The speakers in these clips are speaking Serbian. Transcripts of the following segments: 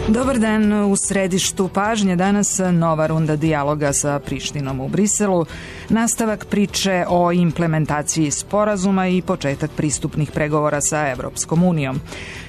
Dobar dan, u središtu pažnje danas nova runda dijaloga sa Prištinom u Briselu, nastavak priče o implementaciji sporazuma i početak pristupnih pregovora sa Evropskom unijom.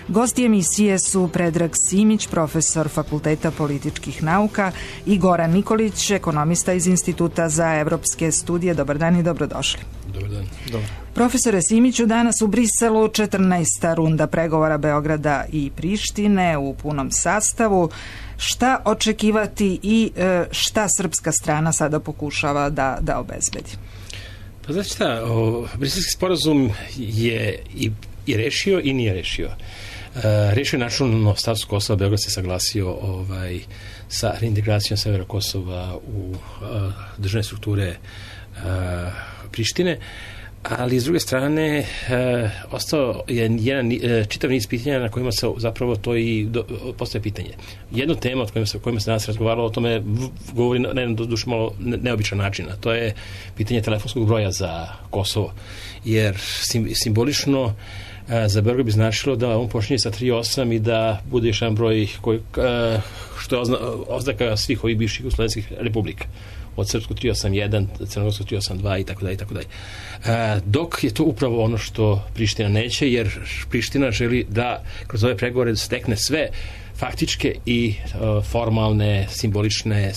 Gosti emisije su Predrag Simić, profesor Fakulteta političkih nauka, i Goran Nikolić, ekonomista iz Instituta za evropske studije. Dobar dan i dobrodošli. Dobar dan. Dobar. Profesore Simiću, danas u Briselu 14. runda pregovora Beograda i Prištine u punom sastavu. Šta očekivati i šta srpska strana sada pokušava da obezbedi? Pa znači šta, Briselski sporazum je i rešio i nije rešio. Rešio je načelno status Kosova, Beograd se saglasio sa reintegracijom severa Kosova u državne strukture Prištine, ali s druge strane ostao je jedan čitav niz pitanja na kojima se zapravo to i postaje pitanje. Jedno tema o kojima se danas razgovaralo, o tome govori na jedan duše malo neobičan način, a to je pitanje telefonskog broja za Kosovo, jer simbolično za Beograd bi značilo da on počinje sa 3.8 i da bude još jedan broj što je oznaka svih ovih bivših jugoslovenskih republika. Od srpsku 381, crnogorsku 382 i tako dalje. Dok je to upravo ono što Priština neće, jer Priština želi da kroz ove pregovore stekne sve faktičke i formalne, simbolične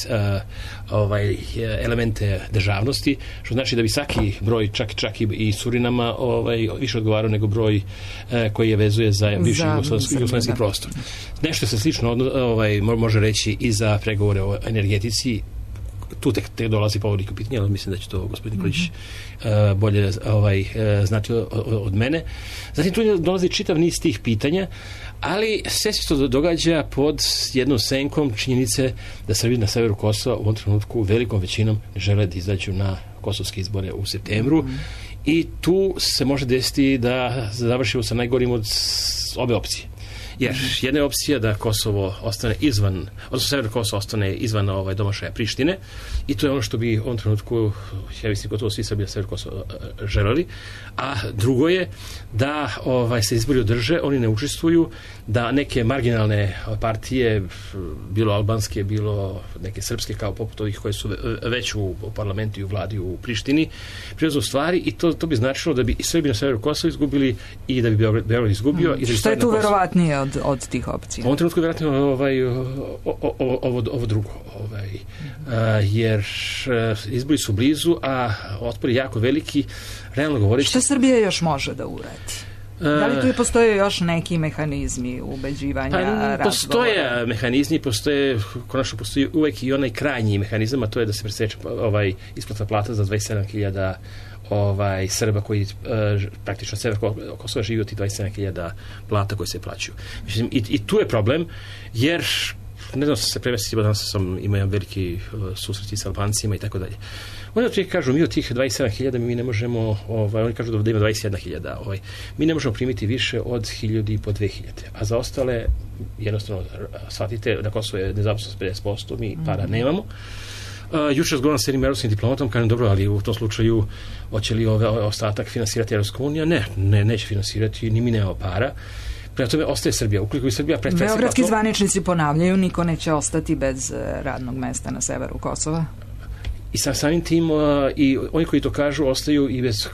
elemente državnosti, što znači da bi svaki broj, čak i Surinama, više odgovarao nego broj koji je vezuje za bivši jugoslovenski prostor. Nešto se slično može reći i za pregovore o energetici. Tu tek dolazi povodnik u pitanje, ali mislim da će to gospodin Nikolić bolje znati od mene. Zatim tu dolazi čitav niz tih pitanja, ali sve se to događa pod jednom senkom činjenice da Srbi na severu Kosova u ovom trenutku velikom većinom žele da izađu na kosovske izbore u septembru i tu se može desiti da završimo sa najgorim od obe opcije. Jer jedna je opcija da Kosovo ostane izvan, odnosno sever Kosovo ostane izvan domašaja Prištine i to je ono što bi u ovom trenutku, ja mislim, gotovo svi Srbi na sever Kosovo želeli. A drugo je da se izbori održe, oni ne učestvuju, da neke marginalne partije, bilo albanske, bilo neke srpske, kao poput ovih koje su već u parlamentu i u vladi u Prištini, preuzmu stvari i to bi značilo da bi i Srbi na severu Kosova izgubili i da bi Beograd izgubio. Što je tu verovatnije od tih opcija? U ovom trenutku je vjerojatno ovo drugo. Jer izbori su blizu, a otpor je jako veliki. Realno govoreći... Šta Srbija još može da uradi? Da li tu postoje još neki mehanizmi ubeđivanja, razgovora? Postoje mehanizmi, konačno postoji uvek i onaj krajnji mehanizam, a to je da se preseče isplata plata za 27.000 Srba koji praktično sever Kosova živi od tih 27.000 plata koje se plaćaju. Mislim, i tu je problem, jer ne znam se prevesti, danas imao jedan veliki susret sa Albancima i tako dalje. Oni od kažu, mi od tih 27.000 mi ne možemo, oni kažu da ima 21.000, mi ne možemo primiti više od 1.000 i po 2.000, a za ostale jednostavno shvatite, na Kosovo je nezaposlenost 50%, mi para nemamo. Juče razgovaram s jednim evropskim diplomatom, kažem, dobro, ali u tom slučaju hoće li ostatak finansirati Evropska unija? Ne, neće finansirati, ni mi nemamo para. Prema tome ostaje Srbija. Ukoliko bi Srbija Beogradski zvaničnici ponavljaju, niko neće ostati bez radnog mesta na severu Kosova. I samim tim i oni koji to kažu ostaju i bez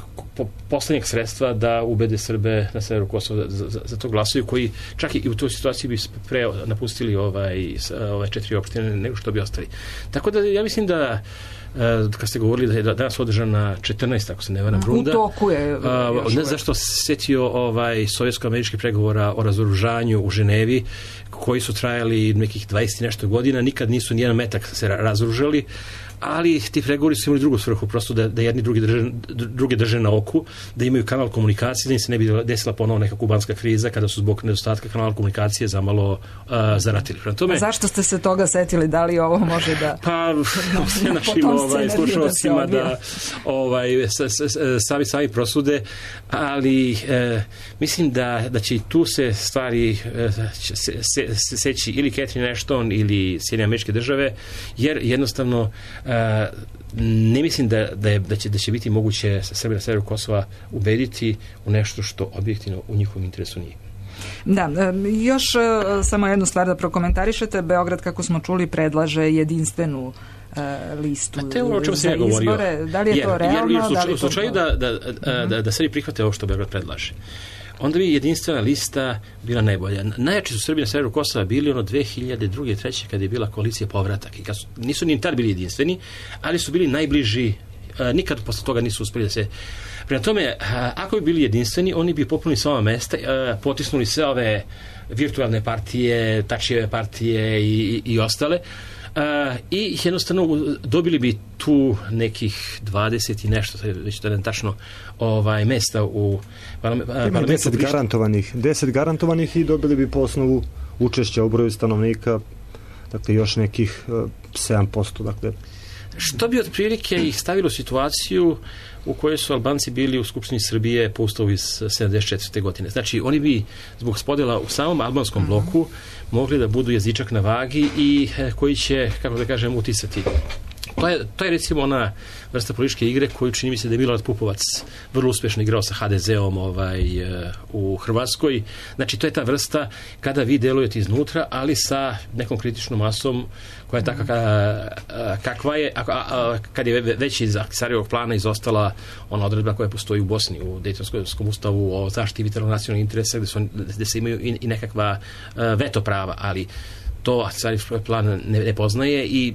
poslednjeg sredstva da ubede Srbe na severu Kosova za to glasuju, koji čak i u toj situaciji bi pre napustili ove 4 opštine nego što bi ostali. Tako da ja mislim da kad ste govorili da je danas održana 14, ako se ne varam, runda. U toku je. Ne zašto se setio sovjetsko-američkih pregovora o razoružanju u Ženevi, koji su trajali nekih 20 nešto godina, nikad nisu nijedan metak se razoružali, ali ti pregovori su imali drugu svrhu, prosto da jedni druge drže na oku, da imaju kanal komunikacije, da im se ne bi desila ponovo neka kubanska kriza kada su zbog nedostatka kanala komunikacije zamalo zaratili. A zašto ste se toga setili? Da li ovo može da... Pa, našim slušalcima da sami prosude, ali mislim da će i tu se stvari seći ili Catherine Ashton ili Sjedinjene Američke Države, jer jednostavno ne mislim da će biti moguće Srbije na severu Kosova ubediti u nešto što objektivno u njihovom interesu nije. Da, još samo jednu stvar da prokomentarišete. Beograd, kako smo čuli, predlaže jedinstvenu listu za izbore. Da li je to realno? U slučaju da se prihvate ovo što Beograd predlaže, onda bi jedinstvena lista bila najbolja. Najjači su Srbi na severu Kosova bili 2002. 2003. kada je bila koalicija Povratak. I nisu ni tad bili jedinstveni, ali su bili najbliži. Nikad posle toga nisu uspeli da se... Prema tome, ako bi bili jedinstveni, oni bi popunili sva mesta, potisnuli sve ove virtualne partije, Tačijeve partije i ostale. I jednostavno dobili bi tu nekih 20 i nešto, već to je tačno mesta u parlamentu. 10 garantovanih i dobili bi po osnovu učešća u broju stanovnika, dakle još nekih 7%, dakle. Što bi otprilike ih stavilo u situaciju u kojoj su Albanci bili u Skupštini Srbije po ustavu iz 74. godine. Znači, oni bi zbog spodjela u samom albanskom bloku mogli da budu jezičak na vagi i koji će, kako da kažem, uticati. To je recimo ona vrsta političke igre koju čini mi se da je Milorad Pupovac vrlo uspješno igrao sa HDZ-om u Hrvatskoj. Znači, to je ta vrsta kada vi delujete iznutra, ali sa nekom kritičnom masom koja je takva kakva je, kad je već iz Ahtisarjevog plana izostala ona odredba koja postoji u Bosni, u Dejtonskom ustavu o zaštiti vitalnog nacionalnog interesa, gde se imaju i nekakva veto prava, ali to Ahtisarjev plan ne poznaje i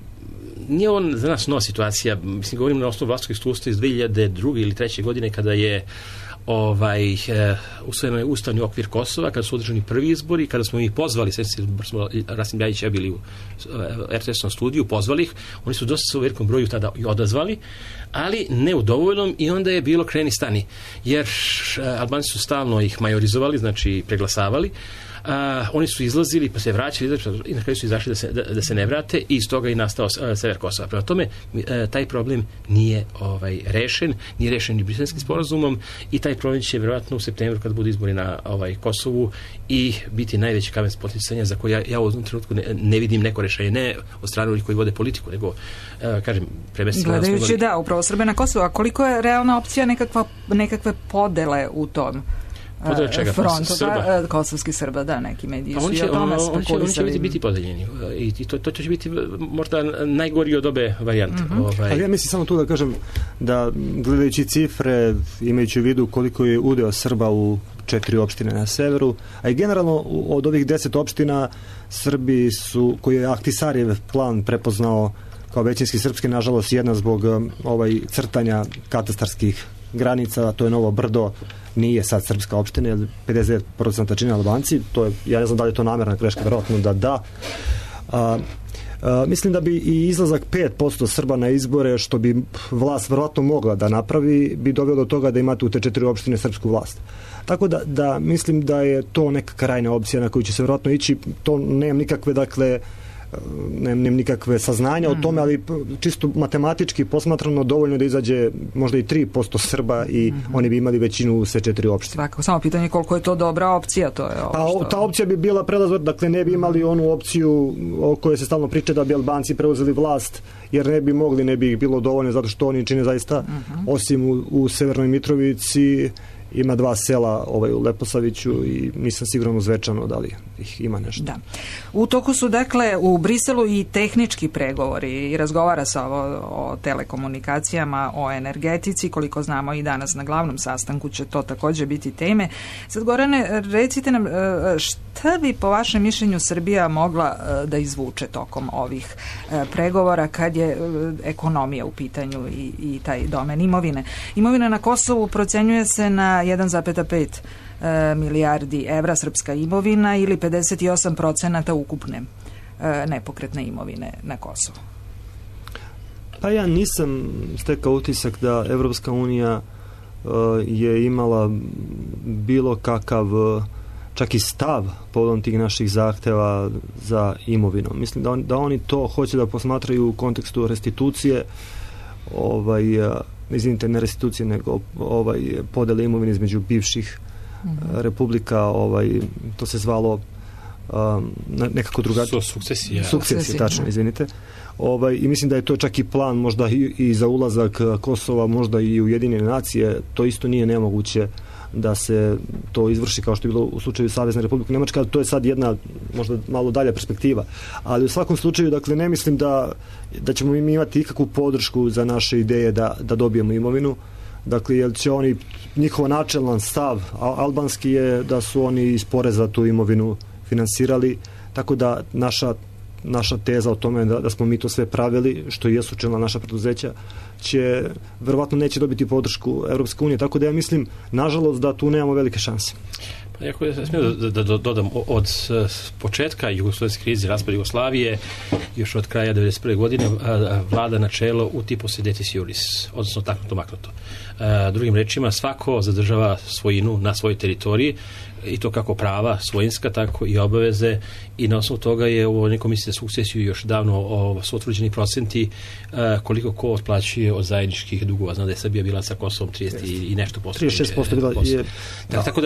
nije on za nas nova situacija. Mislim, govorim na osnovu vlastnog iskustva iz 2002. ili 2003. godine kada je usvojen je ustavni okvir Kosova, kada su održani prvi izbori, kada smo ih pozvali, Rasim Ljajić i ja bili u RTS-om studiju, pozvali ih, oni su dosta sa velikom broju tada i odazvali, ali ne u dovoljnom i onda je bilo kreni stani, jer Albanci su stalno ih majorizovali, znači preglasavali. Oni su izlazili pa se vraćali i na kraju su izašli da se ne vrate i iz toga i nastao sever Kosova. Prema tome, taj problem nije rešen, nije rešen ni Briselskim sporazumom i taj problem će vjerojatno u septembru kad budu izbori na Kosovu i biti najveći kamen spoticanja za koji ja u ovom trenutku ne vidim neko rešenje, ne od strane onih koji vode politiku, nego kažem gledajući upravo Srbe na Kosovu. A koliko je realna opcija nekakve podele u tom frontu, kosovski Srba, da, neki mediji su i o tome spekulisali. Oni će biti podeljeni i to će biti možda najgori od obe varijante. Ali ja mislim samo tu da kažem da gledajući cifre, imajući u vidu koliko je udeo Srba u 4 opštine na severu, a i generalno od ovih 10 opština Srbi su, koji je Ahtisarjev plan prepoznao kao većinski srpski, nažalost jedna zbog crtanja katastarskih granica, a to je Novo Brdo, nije sad srpska opština, jer 50% čine Albanci, to je, ja ne znam da li je to namjerna greška, verovatno da. Mislim da bi i izlazak 5% Srba na izbore, što bi vlast verovatno mogla da napravi, bi doveo do toga da imate u te 4 opštine srpsku vlast. Tako da mislim da je to neka krajna opcija na koju će se verovatno ići. To nemam nikakve, dakle, nemam nikakve saznanja o tome, ali čisto matematički posmatrano dovoljno da izađe možda i 3% Srba i oni bi imali većinu u sve 4 opštine. Svakako, samo pitanje koliko je to dobra opcija, to je ovo što... Ta opcija bi bila prelazor, dakle ne bi imali onu opciju o kojoj se stalno priča da bi Albanci preuzeli vlast, jer ne bi mogli, ne bi bilo dovoljno, zato što oni čine zaista, osim u Severnoj Mitrovici, ima 2 sela u Leposaviću i nisam siguran u Zvečanu da li ih ima nešto. Da. U toku su dakle u Briselu i tehnički pregovori i razgovara se o telekomunikacijama, o energetici, koliko znamo i danas na glavnom sastanku će to također biti teme. Sad, Gorane, recite nam šta bi po vašem mišljenju Srbija mogla da izvuče tokom ovih pregovora kad je ekonomija u pitanju i taj domen imovine. Imovina na Kosovu procenjuje se na 1,5 milijardi evra srpska imovina ili 58% ukupne nepokretne imovine na Kosovu. Pa ja nisam stekao utisak da Evropska unija je imala bilo kakav čak i stav povodom tih naših zahteva za imovinom. Mislim da oni to hoće da posmatraju u kontekstu restitucije, izvinite, ne restitucije, nego podele imovine između bivših republika, to se zvalo nekako drugačije. Sukcesija, tačno, izvinite. I mislim da je to čak i plan možda i za ulazak Kosova, možda i Ujedinjene nacije, to isto nije nemoguće da se to izvrši kao što je bilo u slučaju Savezne Republike Nemačke, ali to je sad jedna možda malo dalja perspektiva. Ali u svakom slučaju, dakle, ne mislim da ćemo mi imati ikakvu podršku za naše ideje da dobijemo imovinu. Dakle, jer će oni, njihov načelan stav albanski je da su oni iz poreza tu imovinu finansirali, tako da naša teza o tome da smo mi to sve pravili, što i jesu čelna naša preduzeća, verovatno neće dobiti podršku Evropske unije, tako da ja mislim, nažalost, da tu nemamo velike šanse. Pa ako ja smijem da dodam, od početka jugoslovenske krize, raspada Jugoslavije, još od kraja 1991. godine, vlada načelo uti possedetis iuris, odnosno taknuto maknuto. Drugim rečima, svako zadržava svojinu na svojoj teritoriji, i to kako prava svojinska, tako i obaveze, i na osnovu toga je u ovoj komisiji za sukcesiju još davno su utvrđeni procenti koliko ko otplaćuje od zajedničkih dugova. Znam da je Srbija bila sa Kosovom 30 i nešto posto. 36% bila je. Tako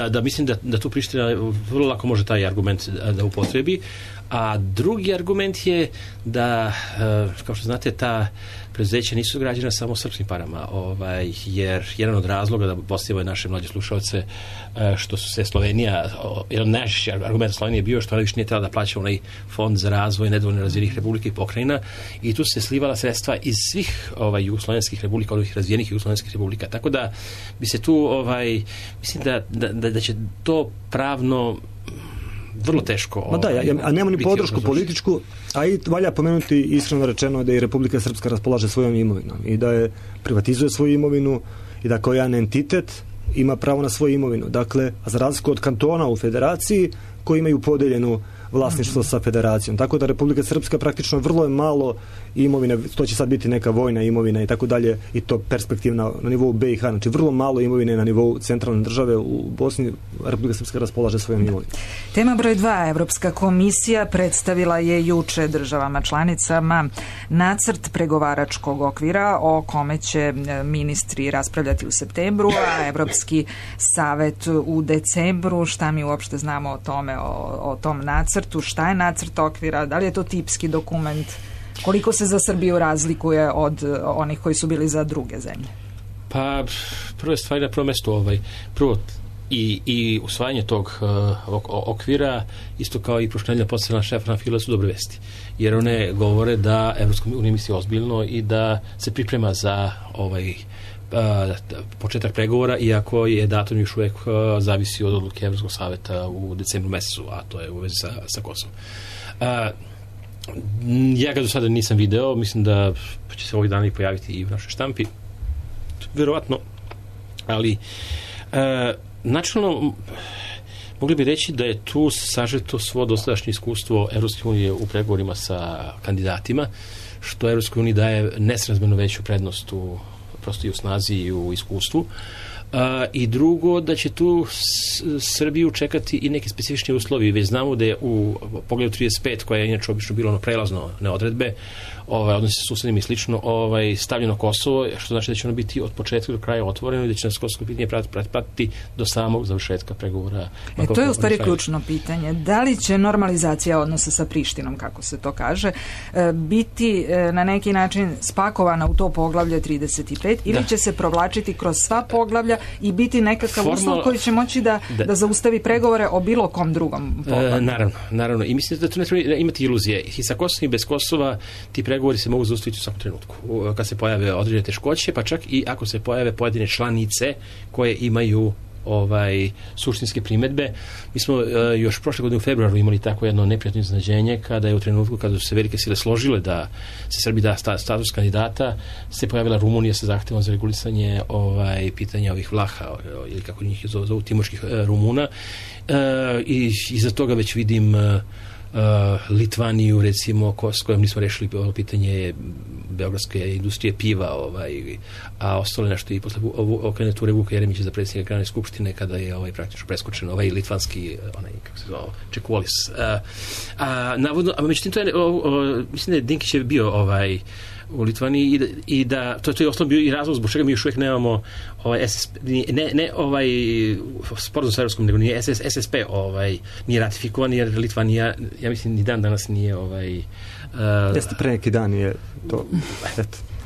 da mislim da tu Priština vrlo lako može taj argument da upotrebi. A drugi argument je da, kao što znate, ta preduzeća nisu građena samo srpskim parama, jer jedan od razloga da postavimo naše mlađe slušalce, što su se Slovenija, jedan najčešći argument Slovenije je bio što ona više nije trebala da plaća onaj fond za razvoj nedovoljno razvijenih republika i pokrajina, i tu se slivala sredstva iz svih jugoslovenskih republika, ovih razvijenih jugoslovenskih republika. Tako da bi se tu, mislim da će to pravno vrlo teško. A nema ni podršku političku, a i valja pomenuti, iskreno rečeno, da i Republika Srpska raspolaže svojom imovinom i da je privatizuje svoju imovinu i da kao jedan entitet ima pravo na svoju imovinu. Dakle, za razliku od kantona u federaciji koji imaju podeljenu vlasništvo sa federacijom. Tako da Republika Srpska praktično vrlo je malo imovine, to će sad biti neka vojna imovina i tako dalje, i to perspektivna na nivou BiH, znači vrlo malo imovine na nivou centralne države. U Bosni Republika Srpska raspolaže svojom imovinom. Tema broj 2. Evropska komisija predstavila je juče državama članicama nacrt pregovaračkog okvira o kome će ministri raspravljati u septembru, a Evropski savet u decembru. Šta mi uopšte znamo o tome, o tom nacrtu? Šta je nacrt okvira? Da li je to tipski dokument? Koliko se za Srbiju razlikuje od onih koji su bili za druge zemlje? Pa, prve stvari na prvom mestu, prvo i usvajanje tog okvira, isto kao i prošlenja postavljena Štefana Fila, su dobre vesti. Jer one govore da Evropska unija misli ozbiljno i da se priprema za početak pregovora, iako je datum još uvek zavisi od odluke Evropskog saveta u decembru mesecu, a to je u vezi sa Kosovom. Ja ga do sada nisam video, mislim da će se ovih dana i pojaviti i u našoj štampi, verovatno, ali načelno mogli bi reći da je tu sažeto svo dosadašnje iskustvo Evropske unije u pregovorima sa kandidatima, što Evropskoj uniji daje nesrazmjerno veću prednost prosto i u snazi i u iskustvu. I drugo, da će tu Srbiju čekati i neki specifični uslovi. Već znamo da je u pogledu 35, koja je inače obično bilo prelazno neodredbe, odnosi sa susedima i slično, stavljeno Kosovo, što znači da će ono biti od početka do kraja otvoreno i da će nas Kosovo pitanje pratiti do samog završetka pregovora. To je u stvari ključno pitanje. Da li će normalizacija odnosa sa Prištinom, kako se to kaže, biti na neki način spakovana u to poglavlje 35 ili će se provlačiti kroz sva poglavlja i biti nekakav uslov koji će moći da zaustavi pregovore o bilo kom drugom poglavlju? Naravno. I mislim da tu ne treba imati iluzije. I sa Kosovom i bez Kosova ti pregovori se mogu zaustaviti u svakom trenutku. Kad se pojave određene teškoće, pa čak i ako se pojave pojedine članice koje imaju suštinske primedbe. Mi smo još prošle godine u februaru imali tako jedno neprijatno iznenađenje kada je u trenutku kada su se velike sile složile da se Srbiji da status kandidata, se pojavila Rumunija sa zahtevom za regulisanje pitanja ovih Vlaha, ili kako njih zovu timočkih Rumuna, i iza toga već vidim Litvaniju, recimo, s kojom nismo rešili pitanje beogradske industrije piva, a ostalo nešto i posle kandidature Vuka Jeremića za predsjednika Generalne skupštine, kada je praktično preskočen litvanski, kako se zvao, Čekuolis. Navodno, a međutim, to je, mislim da je Dinkić je bio u Litvaniji i da to je osnovno bio i razlog zbog čega mi još uvijek nemamo ne sporazum sa Evropskom, nego nije SSP nije ratifikovan, jer Litvanija, ja mislim, ni dan danas nije jeste pre neki dan je to,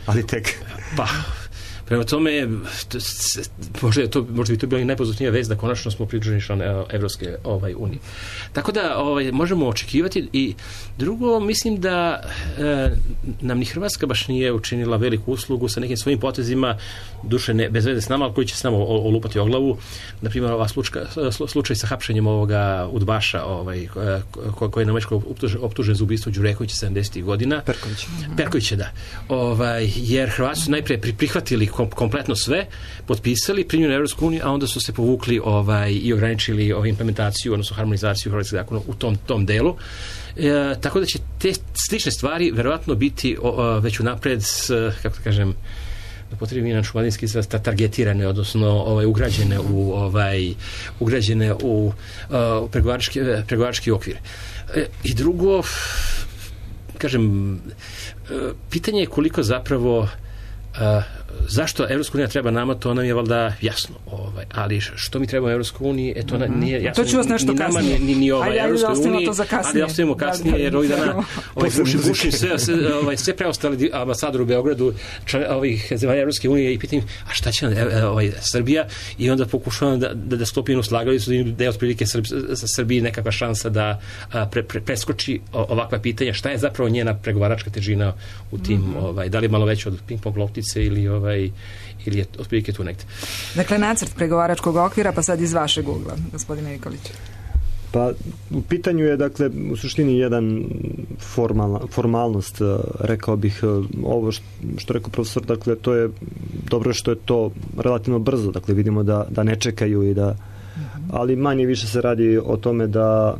ali tek. Prema tome, možda bi to bila i najpozitivnija vest da konačno smo pridruženi član Evropske unije. Tako da možemo očekivati. I drugo, mislim da nam ni Hrvatska baš nije učinila veliku uslugu sa nekim svojim potezima, duše ne, bez veze s nama, ali koji će s nama olupati o glavu. Naprimjer, slučaj sa hapšenjem ovoga udbaša koji je na Mečkoj optužen za ubistvo Đurekovića 70. godina. Perkovića, da. Jer Hrvati su najprije prihvatili kompletno sve, potpisali, primljeni u Evropsku uniju, a onda su se povukli i ograničili implementaciju, odnosno harmonizaciju hrvatskih zakona u tom delu. Tako da će te slične stvari verovatno biti već unapred, kako da kažem, da potrebi naš šumadinski izraz, targetirane, odnosno ugrađene u pregovarački okvir. I drugo, kažem, pitanje je koliko zapravo zašto Evropska unija treba nama, to nam je valjda jasno. Ali što mi treba Evropskoj uniji, to nije jasno. To ću vas nešto kasnije. Ni Evropskoj uniji, ali ostavimo kasnije, jer ovih dana Buši sve preostali ambasador u Beogradu, ovih zemalja Evropske unije, i pitam, a šta će Srbija? I onda pokušavam da stopim u slagalicu, da je otprilike Srbiji nekakva šansa da preskoči ovakva pitanja. Šta je zapravo njena pregovaračka težina u tim, da li je malo veća od ping-pong loptice ili je otprilike tu negde. Dakle, nacrt pregovaračkog okvira, pa sad iz vašeg ugla, gospodine Nikolić. Pa, u pitanju je, dakle, u suštini jedan formalnost, rekao bih, ovo što rekao profesor, dakle, to je dobro što je to relativno brzo, dakle, vidimo da ne čekaju i da, ali manje više se radi o tome da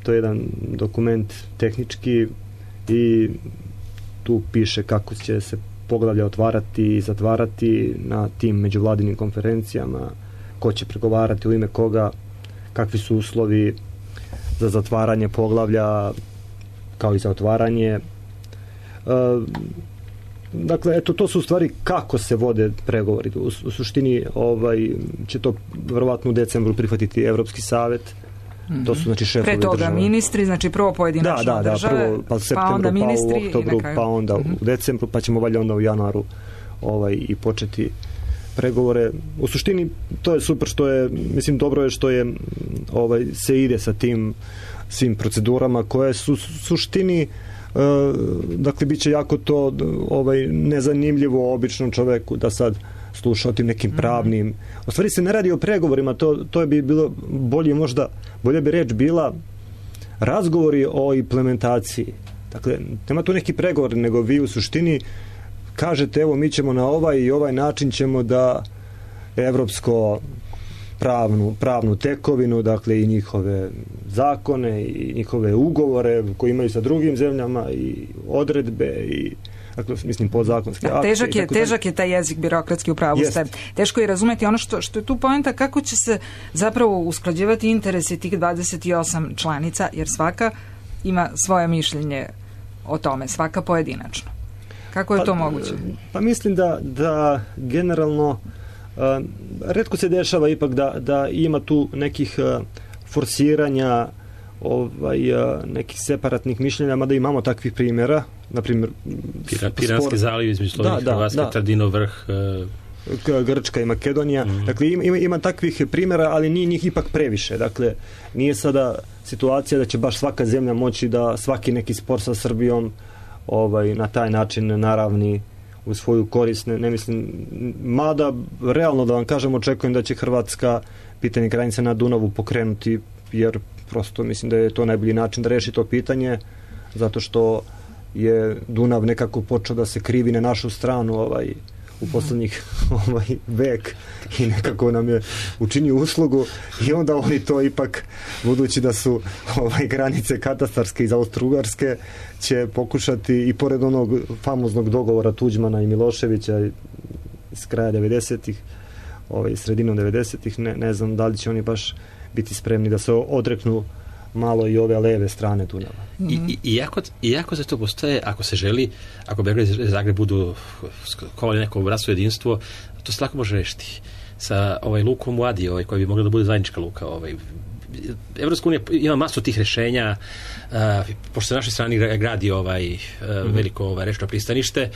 to je jedan dokument tehnički i tu piše kako će se poglavlja otvarati i zatvarati na tim međuvladinim konferencijama, ko će pregovarati u ime koga, kakvi su uslovi za zatvaranje poglavlja kao i za otvaranje. Dakle, eto, to su u stvari kako se vode pregovori. U suštini će to verovatno u decembru prihvatiti Evropski savet. To su, znači, šefovi država. Pre toga ministri, znači prvo pojedinačno države, prvo, pa u septembru, pa onda ministri, pa u oktobru, pa onda u decembru, pa ćemo valjda onda u januaru i početi pregovore. U suštini to je super što je, mislim, dobro je što je se ide sa tim svim procedurama koje su suštini, dakle, bit će jako to nezanimljivo običnom čoveku da sad sluša o tim nekim pravnim. U stvari se ne radi o pregovorima, to bi bilo bolje bi reč bila razgovori o implementaciji. Dakle, nema tu neki pregovor, nego vi u suštini kažete, evo, mi ćemo na ovaj i ovaj način ćemo da evropsko pravnu tekovinu, dakle, i njihove zakone i njihove ugovore koji imaju sa drugim zemljama i odredbe i, dakle, mislim, podzakonske akte. Težak je taj jezik birokratski, u pravu ste. Teško je razumeti ono što je tu poenta, kako će se zapravo usklađivati interesi tih 28 članica, jer svaka ima svoje mišljenje o tome, svaka pojedinačno. Kako je to moguće? Pa mislim da generalno retko se dešava ipak da ima tu nekih forsiranja nekih separatnih mišljenja, mada imamo takvih primjera, na primjer Piranski zaliv između Slovenije i Hrvatske, Tardinov vrh, Grčka i Makedonija. Dakle, ima takvih primjera, ali nije njih ipak previše. Dakle, nije sada situacija da će baš svaka zemlja moći da svaki neki spor sa Srbijom na taj način naravni u svoju korist. Ne mislim, mada realno da vam kažem, očekujem da će Hrvatska pitanje granice na Dunavu pokrenuti, jer prosto mislim da je to najbolji način da reši to pitanje, zato što je Dunav nekako počeo da se krivi na našu stranu u poslednjih vek i nekako nam je učinio uslugu i onda oni to ipak, budući da su granice katastarske iz Austro-Ugarske, će pokušati i pored onog famoznog dogovora Tuđmana i Miloševića iz kraja 90-ih, sredinom 90-ih, ne znam da li će oni baš biti spremni da se odreknu malo i ove leve strane Dunava. Iako za to postoje, ako se želi, ako Beograd i Zagreb budu skovali neko bratstvo jedinstvo, to se lako može rešiti. Sa lukom u Adi, koja bi mogla da bude zajednička luka, Evropska unija ima masu tih rešenja, pošto se na našoj strani gradi veliko rečno pristanište,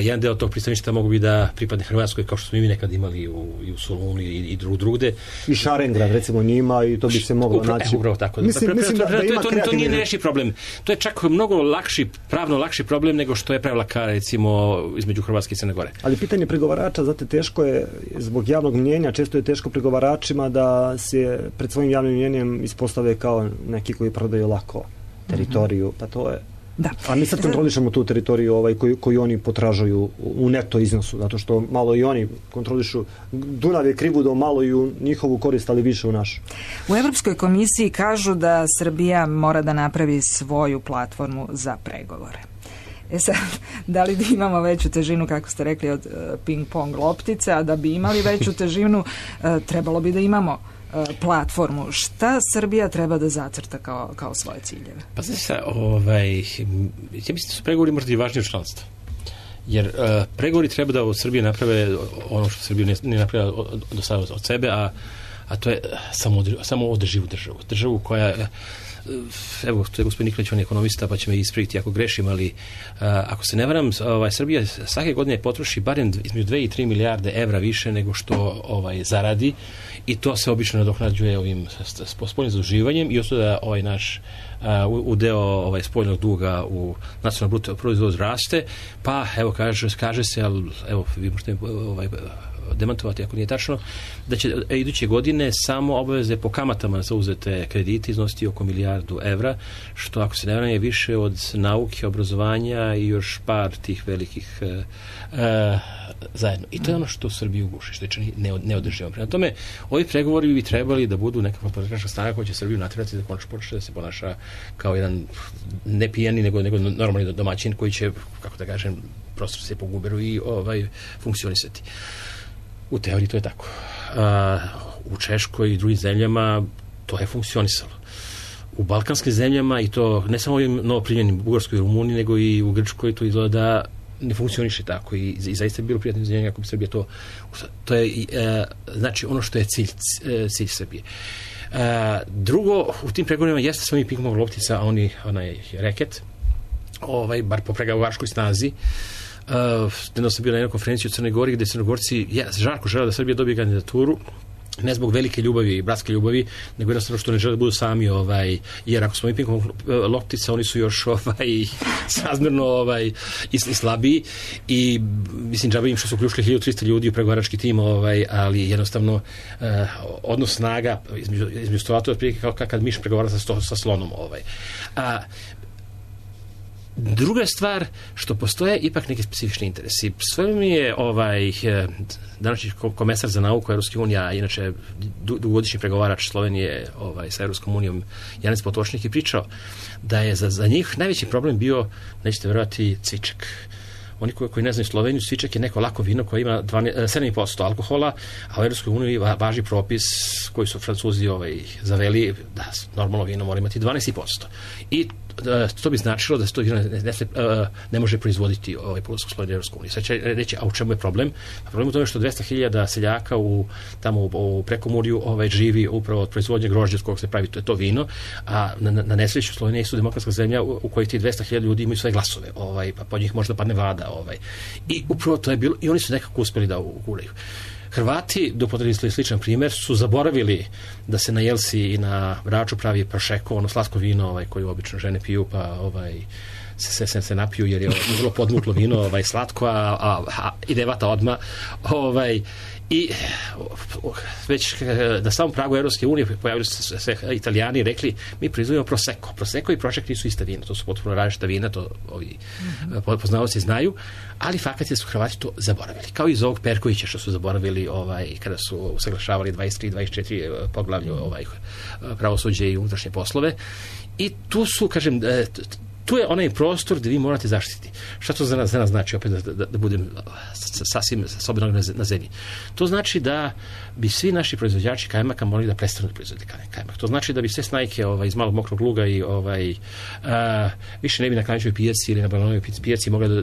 jedan deo tog pristaništa mogu bi da pripadne Hrvatskoj, kao što smo i mi nekad imali i u Solunu i drugde. I Šarengrad, recimo, njima, i to bi se moglo naći. Upravo tako. Mislim da ima to nije nerešiv problem. To je čak mnogo pravno lakši problem nego što je pravila kara, recimo, između Hrvatske i Crne Gore. Ali pitanje pregovarača, znate, teško je, zbog javnog mnjenja, često je teško pregovaračima da se pred svojim javnim mnjenjem ispostave kao neki koji prodaju lako teritoriju, pa to je. Da. A mi sad kontrolišemo tu teritoriju koju oni potražuju u neto iznosu, zato što malo i oni kontrolišu. Dunav je krivudo malo i u njihovu korist, ali više u našu. U Evropskoj komisiji kažu da Srbija mora da napravi svoju platformu za pregovore. Sad, da li imamo veću težinu, kako ste rekli, od ping-pong loptice, a da bi imali veću težinu, trebalo bi da imamo platformu. Šta Srbija treba da zacrta kao svoje ciljeve? Pa znači se, ja mislim da su pregovori možda i važniji od članstva. Jer pregovori treba da od Srbije naprave ono što Srbija nije napravila do sada od sebe, a to je samo održivu državu. Državu koja, evo, to je gospodin Nikolić, on je ekonomista, pa će me ispraviti ako grešim, ali ako se ne varam, Srbija svake godine potroši barem između 2 i 3 milijarde evra više nego što zaradi, i to se obično nadoknađuje ovim spoljnim zaduživanjem i ostaje da naš udeo spoljnog duga u nacionalnom bruto proizvodu raste, pa evo kaže se, ali evo vi možete demantovati ako nije tačno, da će iduće godine samo obaveze po kamatama za uzete kredite iznositi oko 1 milijardu evra, što ako se ne varam je više od nauke, obrazovanja i još par tih velikih zajedno. I to je ono što Srbiju guši, što je čini neodrživo. Prema tome, ovi pregovori bi trebali da budu nekakva politička snaga koja će Srbiju natjerati da konačno počne da se ponaša kao jedan ne pijani, nego normalni domaćin koji će, kako da kažem, prosto se poguberu i funkcionisati. U teoriji to je tako. U Češkoj i drugim zemljama to je funkcionisalo. U balkanskim zemljama, i to ne samo ovim novoprimljenim Bugarskoj i Rumuniji, nego i u Grčkoj, to izgleda da ne funkcioniše tako i zaista je bilo prijatno izvinjenje ako bi Srbija to je znači ono što je cilj Srbije. Drugo, u tim pregovorima jeste samo i ping-pong loptica, a onaj reket, bar po pregovaračkoj snazi. Nedavno sam bio na jednoj konferenciji u Crnoj Gori gde Crnogorci žarko žele da Srbija dobije kandidaturu, ne zbog velike ljubavi i bratske ljubavi, nego jednostavno što ne žele da budu sami, jer ako smo i ping-pong loptica, oni su još srazmjerno i slabiji, i mislim džabe im što su uključili 1300 ljudi u pregovarački tim, ali jednostavno odnos snaga između stovata otprilike kao kad miš pregovara sa slonom. Druga stvar, što postoje ipak neki specifični interesi. Sve mi je današnji komesar za nauku Evropske unije, a inače dugogodišnji pregovarač Slovenije sa Evropskom unijom, Janez Potočnik, je pričao da je za njih najveći problem bio, nećete verovati, cvičak. Oni koji ne znaju Sloveniju, cvičak je neko lako vino koje ima 7,5% alkohola, a u Evropskoj uniji važi propis koji su Francuzi zaveli da normalno vino mora imati 12,5%. I to bi značilo da se to vino ne može proizvoditi po ulasku Slovenije u Evropsku uniju. Sad će reći, a u čemu je problem? Problem u tome što 200.000 seljaka tamo u Prekomurju živi upravo od proizvodnje grožđa od kojeg se pravi to vino, a na nesreću Slovenija su demokratska zemlja u kojoj ti 200.000 ljudi imaju svoje glasove, pa po njih možda padne vlada. I upravo to je bilo, i oni su nekako uspeli da uguraju. Hrvati, da upotrebili sličan primjer, su zaboravili da se na Jelsi i na Braču pravi prošeko, ono slatko vino koju obično žene piju, pa se napiju jer je vrlo podmuklo vino, slatko, a ide vata odmah. I već na samom pragu Evropske unije pojavili su se Italijani i rekli, mi proizvodimo prosecco. Prosecco i prošek nisu ista vina, to su potpuno različita vina, to ovi poznavaoci znaju, ali fakat je su Hrvati to zaboravili. Kao i iz ovog Perkovića što su zaboravili kada su usaglašavali 23-24 poglavlju pravosuđe i unutrašnje poslove. I tu su, kažem, tu je onaj prostor gde vi morate zaštiti. Šta to za nas znači, opet da budem sasvim sobenog na zemlji? To znači da bi svi naši proizvođači kajmaka morali da prestanu da proizvode kajmak. To znači da bi sve snajke iz malog mokrog luga i više ne bi na Klanjčevoj pijaci ili na Balanovoj pijaci mogli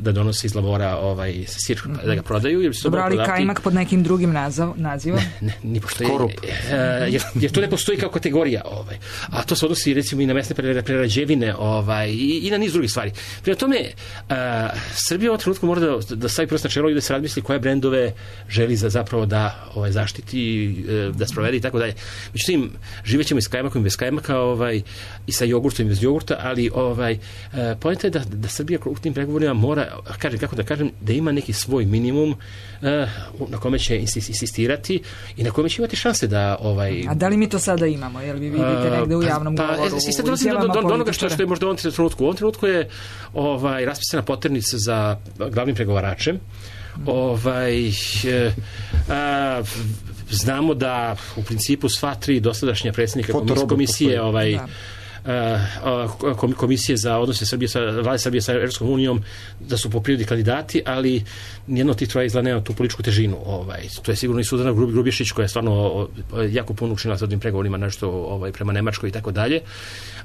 da donose iz lavora sir, da ga prodaju. Dobro, ali kajmak pod nekim drugim nazivom? Ne, ni postoji. Jer to ne postoji kao kategorija. A to se odnosi recimo i na mesne prerađevine i na niz drugih stvari. Prema tome, Srbija u ovom trenutku mora da stavi prst na čelo i da se razmisli koje brendove želi zapravo da zaštiti, da sprovede i tako dalje. Međutim, živećemo i s kajmakom i bez kajmaka i sa jogurtom i bez jogurta, ali poenta je da Srbija u tim pregovorima mora, da ima neki svoj minimum na kome će insistirati i na kome će imati šanse da... A da li mi to sada imamo? Jel vi vidite negde u javnom govoru? I sad dolazim do onoga što je možda u ovom trenutku. U ovom trenutku je raspisana poternica za glavnim pregovaračem. Znamo da u principu sva tri dosadašnja predsjednika komisije komisije za odnose vlade Srbije sa Evropskom unijom da su po prirodi kandidati, ali nijedno od tih troja izgleda nema tu političku težinu. To je sigurno i Suzana Grubješić koja je stvarno jako puno učinila sa ovim pregovorima, nešto prema Nemačkoj i tako dalje.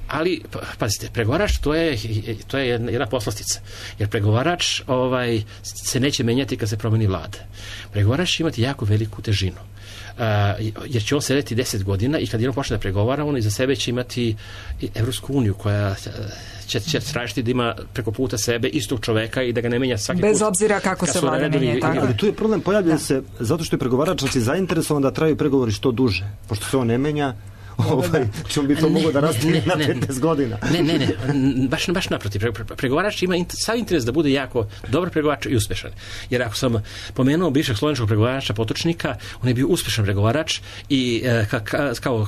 Ali, pazite, pregovarač to je jedna poslastica. Jer pregovarač se neće menjati kad se promeni vlada. Pregovarač će imati jako veliku težinu. Jer će on sedeti 10 godina i kad jednom počne da pregovara, on iza sebe će imati Evropsku uniju koja će tražiti da ima preko puta sebe istog čoveka i da ga ne menja svaki put. Bez obzira kako se vlada menja. Ali tu je problem, pojavlja se zato što je pregovarač zainteresovan da traju pregovori što duže. Pošto se on ne menja, ćemo bi to mogo da rastigne na 15 godina. Ne, baš naprotiv. Pregovarač ima sav interes da bude jako dobar pregovarač i uspešan. Jer ako sam pomenuo bivšeg slovenačkog pregovarača Potočnika, on je bio uspešan pregovarač i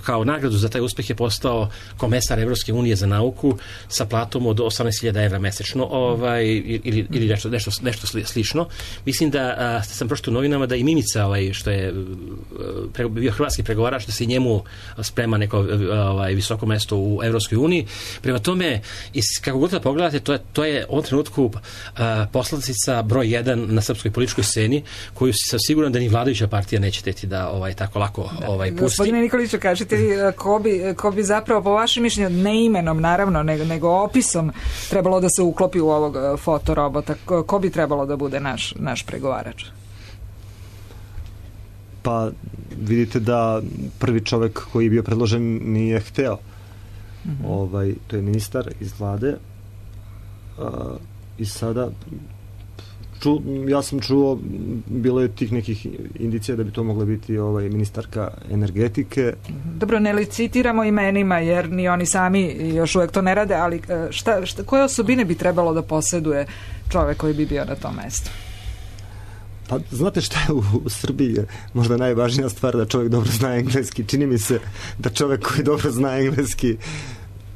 kao nagradu za taj uspeh je postao komesar Evropske unije za nauku sa platom od 18.000 evra mesečno ili nešto slično. Mislim da sam pročitao u novinama da i Mimica, što je bio hrvatski pregovarač, da se i njemu sprema neko visoko mesto u Evropskoj uniji. Prema tome, kako god da pogledate, to je u ovom trenutku poslatica broj 1 na srpskoj političkoj sceni, koju sam siguran da ni vladajuća partija neće teti da tako lako pusti. Gospodine Nikoliću, kažete vi ko bi zapravo po vašem mišljenju, ne imenom naravno, nego opisom trebalo da se uklopi u ovog fotorobota, ko bi trebalo da bude naš pregovarač? Pa vidite da prvi čovek koji je bio predložen nije hteo. To je ministar iz vlade i sada ja sam čuo, bilo je tih nekih indicija da bi to mogla biti ministarka energetike. Dobro, ne licitiramo imenima jer ni oni sami još uvek to ne rade, ali koje osobine bi trebalo da poseduje čovek koji bi bio na tom mestu? Pa znate šta je u Srbiji možda najvažnija stvar, da čovjek dobro zna engleski. Čini mi se da čovjek koji dobro zna engleski,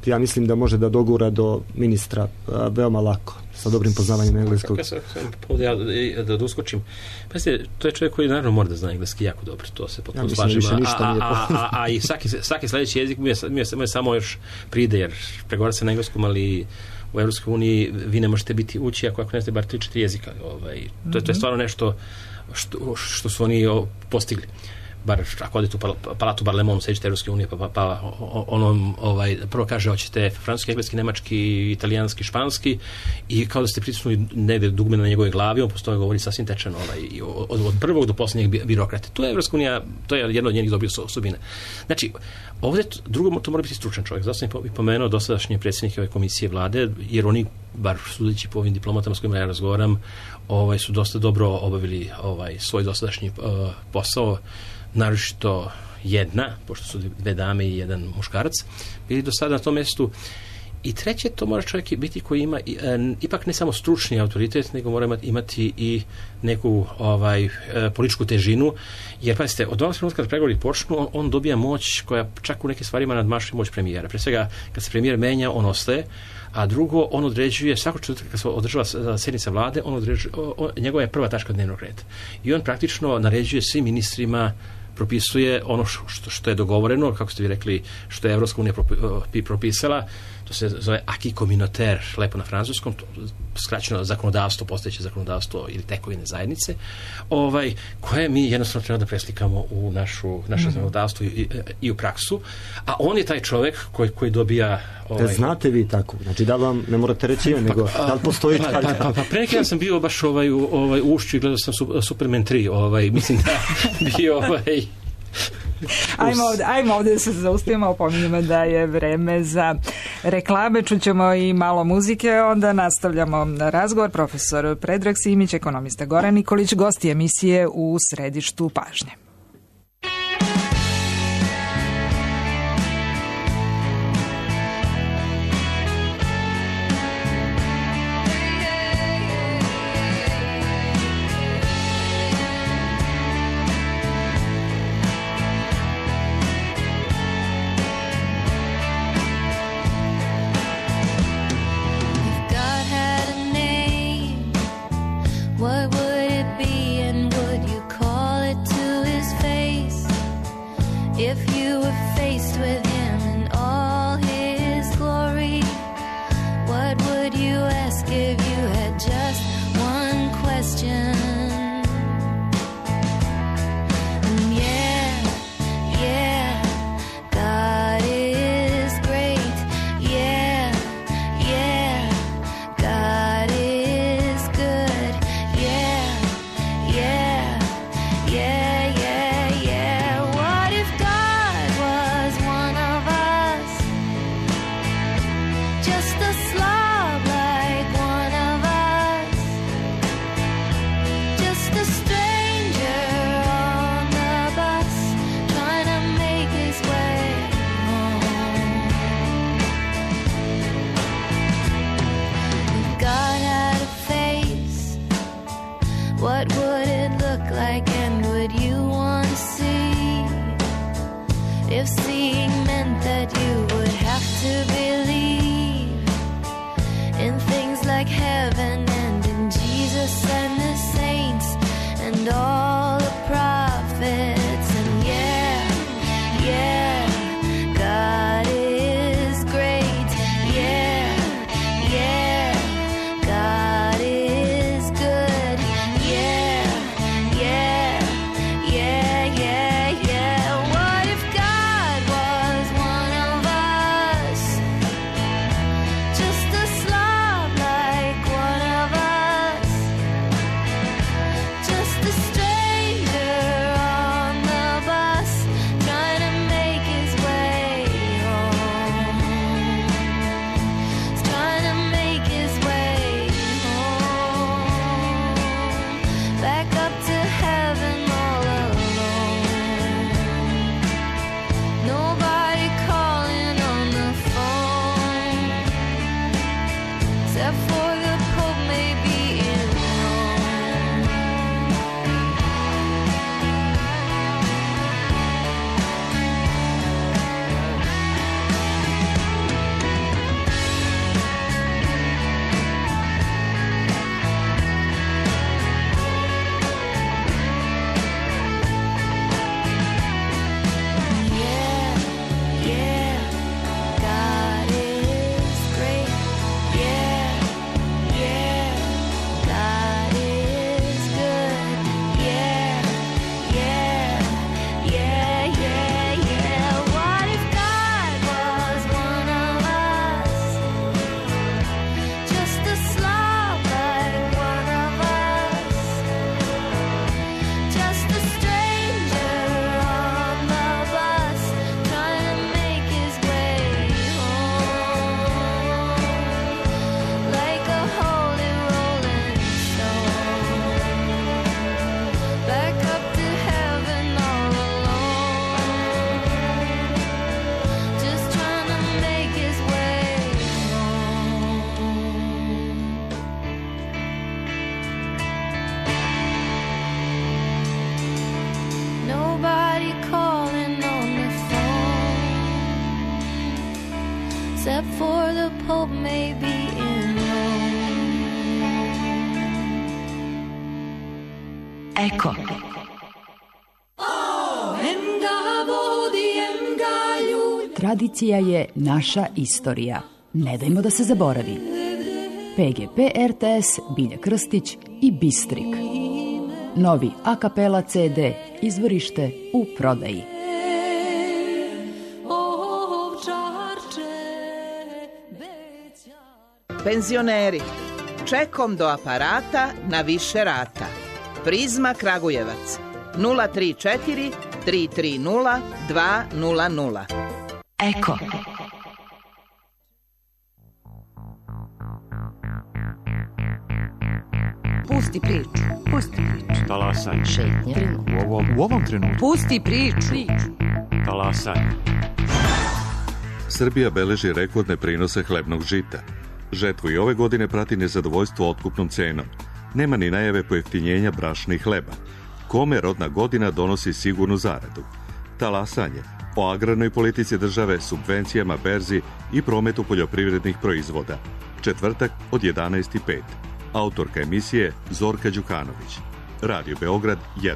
ja mislim da može da dogura do ministra veoma lako, sa dobrim poznavanjem engleskog. Da uskočim. Pazite, to je čovjek koji naravno mora da zna engleski jako dobro, to se potpuno slažem. A i svaki sledeći jezik mi je samo još pride, jer pregovara se na engleskom, ali u Evropskoj uniji vi ne možete biti ući ako ne znate bar 3-4 jezika. To je stvarno nešto što su oni postigli. Bar ako odete u palatu Barlemonu, seđete Evropske unije, pa onom prvo kaže hoćete francuski, engleski, nemački, italijanski, španski i kao da ste pritisnuli negde dugme na njegove glavi, on postoje govori sasvim tečeno od prvog do posljednjeg birokrate. To je Evropska unija, to je jedna od njenih dobrih osobina. Znači, ovdje drugo to mora biti stručan čovjek. Zato sam i pomenuo dosadašnje predsjednike ove komisije vlade, jer oni, bar sudeći po ovim diplomatama s kojima ja razgovaram, su dosta dobro obavili svoj dosadašnji posao, naročito jedna, pošto su 2 dame i 1 muškarac, bili do sada na tom mjestu. I treće, to mora čovjek biti koji ima ipak ne samo stručni autoritet, nego mora imati i neku političku težinu, jer pazite, od onog trenutka kad pregovori počnu, on dobija moć koja čak u nekim stvarima nadmašuje moć premijera. Pre svega, kad se premijer menja, on ostaje, a drugo, on određuje, svako četvrtka kad se održava sjednica vlade, njegova je prva tačka dnevnog reda. I on praktično naređuje svim ministrima propisuje ono što je dogovoreno, kako ste vi rekli, što je Evropska unija propisala. To se zove acquis communautaire, lepo na francuskom, skraćeno zakonodavstvo, postojeće zakonodavstvo ili tekovine zajednice, koje mi jednostavno treba da preslikamo u naše zakonodavstvo i u praksu. A on je taj čovek koji dobija... Znate vi tako? Znači, da vam ne morate reći nego da li postoji tako? Pa pre neki dan sam bio baš u Ušću i gledao sam Superman 3, mislim da bio Ajmo ovdje da se zaustavimo, opominjamo da je vreme za reklame, čućemo i malo muzike, onda nastavljamo razgovor. Profesor Predrag Simić, ekonomista Goran Nikolić, gosti emisije u središtu pažnje. What would it be and would you call it to his face if you were faced with him in all his glory? What would you ask if you had just one question? And yeah, God is great. Yeah, God is good. Yeah. What if God was one of us? Just a slob like one of us. Just a stranger on the bus trying to make his way home. If God had a face, what would it look like and would you want to see? If seeing meant that you would have to believe in things like heaven and in Jesus and the saints and all the prophets. And yeah, God is great. Yeah, God is good. Yeah. What if God was one of us? Just a slob like one of us. Just a stranger on the bus trying to make his way home. Trying to make his way home. Back up to heaven all alone. Nobody calling on the phone except for the Pope maybe in Rome. Yeah, God is great. Yeah, God is good. Yeah. What if God was one of us? Just a slob like one of us. Just a stranger on the bus trying to make his way home. Like a holy rolling stone. Back up to heaven all alone. Just trying to make his way home. Nobody calling on the phone except for the Pope maybe in Rome. Eko. Tradicija je naša istorija. Ne dajmo da se zaboravi. PGP RTS, Bilja Krstić i Bistrik. Novi a cappella CD, izvorište u prodaji. Penzioneri, čekom do aparata na više rata. Prizma Kragujevac 034 330 200. Eko. Pusti priču. Pusti priču. Talasaj. Šetnje. U ovom trenutku. Pusti priču. Talasaj. Srbija beleži rekordne prinose hlebnog žita. Žetvu i ove godine prati nezadovoljstvo otkupnom cenom. Nema ni najave pojeftinjenja brašna i hleba. Kome rodna godina donosi sigurnu zaradu? Talasanje o agrarnoj politici države, subvencijama, berzi i prometu poljoprivrednih proizvoda. Četvrtak od 11:05. Autorka emisije Zorka Đukanović. Radio Beograd 1.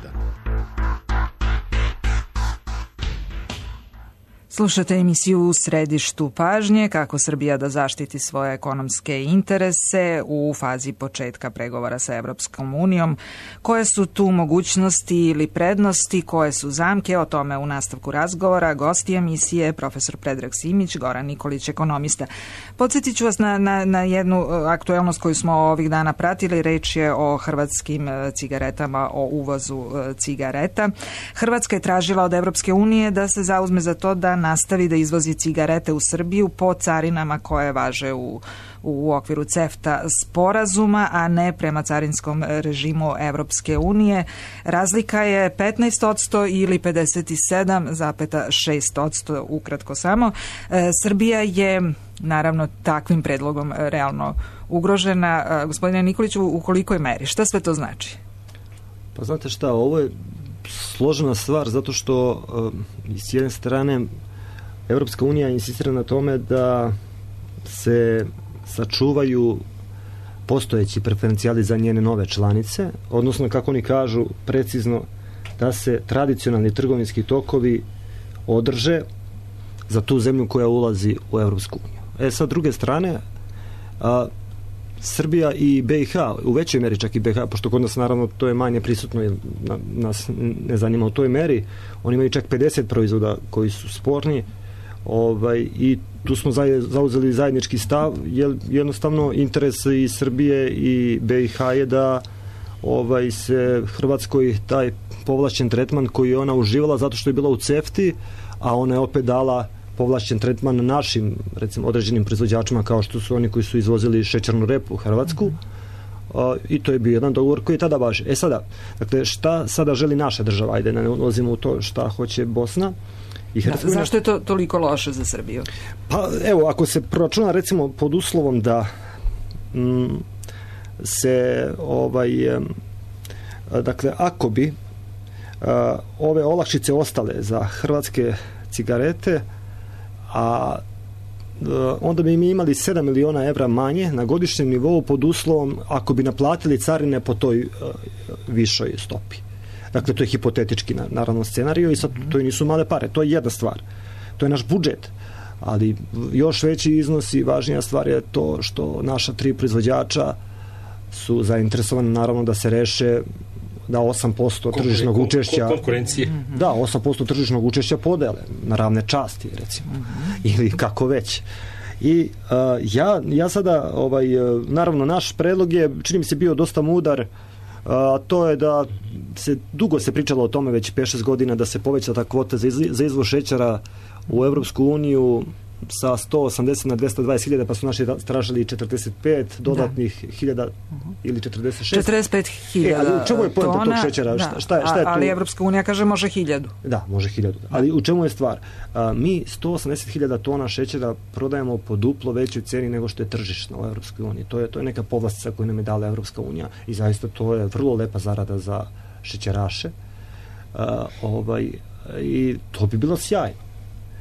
Slušate emisiju U središtu pažnje, kako Srbija da zaštiti svoje ekonomske interese u fazi početka pregovora sa Evropskom unijom. Koje su tu mogućnosti ili prednosti, koje su zamke, o tome u nastavku razgovora. Gosti emisije, profesor Predrag Simić, Goran Nikolić, ekonomista. Podsjetit ću vas na jednu aktuelnost koju smo ovih dana pratili. Reč je o hrvatskim cigaretama, o uvozu cigareta. Hrvatska je tražila od Evropske unije da se zauzme za to da nastavi da izvozi cigarete u Srbiju po carinama koje važe u okviru CEFTA sporazuma, a ne prema carinskom režimu Evropske unije. Razlika je 15% ili 57,6%, ukratko samo. Srbija je naravno takvim predlogom realno ugrožena. Gospodine Nikoliću, u kolikoj meri? Šta sve to znači? Pa znate šta, ovo je složena stvar zato što s jedne strane Evropska unija insistira na tome da se sačuvaju postojeći preferencijali za njene nove članice, odnosno, kako oni kažu precizno, da se tradicionalni trgovinski tokovi održe za tu zemlju koja ulazi u Evropsku uniju. Sa druge strane, Srbija i BiH, u većoj meri čak i BiH, pošto kod nas naravno to je manje prisutno i nas ne zanima u toj meri, oni imaju čak 50 proizvoda koji su sporni, i tu smo zauzeli zajednički stav, jer jednostavno interes i Srbije i BiH je da se Hrvatskoj taj povlašćen tretman koji je ona uživala zato što je bila u CEFTI, a ona je opet dala povlašćen tretman našim, recimo, određenim proizvođačima kao što su oni koji su izvozili šećernu repu u Hrvatsku, i to je bio jedan dogovor koji je tada važi. Sada, dakle, šta sada želi naša država? Ajde, ne ulazimo u to šta hoće Bosna i Hercegovina. Zašto je to toliko loše za Srbiju? Pa evo, ako se proračuna recimo pod uslovom da se dakle, ako bi ove olakšice ostale za hrvatske cigarete, a onda bi mi imali 7 miliona evra manje na godišnjem nivou pod uslovom ako bi naplatili carine po toj višoj stopi. Dakle, to je hipotetički naravno scenariju i sad to i nisu male pare. To je jedna stvar. To je naš budžet. Ali još veći iznos i važnija stvar je to što naša 3 proizvođača su zainteresovani naravno da se reše da 8% tržišnog učešća konkurencije. Da, 8% tržišnog učešća podele na ravne časti, recimo. Ili kako već. I ja sada, naravno, naš predlog je, čini mi se, bio dosta mudar, a to je da dugo se pričalo o tome, već 5-6 godina, da se poveća ta kvota za izvoz šećera u Evropsku uniju sa 180 na 220.000, pa su naši tražili 45 dodatnih hiljada ili 46. 45.000 u čemu je poenta tog šećera? Šta je tu? Ali Evropska unija kaže može 1.000. Da, može 1.000. Ali u čemu je stvar? Mi 180.000 tona šećera prodajemo po duplo većoj ceni nego što je tržišno u Evropskoj uniji. To je neka povlastica koju nam je dala Evropska unija i zaista to je vrlo lepa zarada za šećeraše. I to bi bilo sjajno.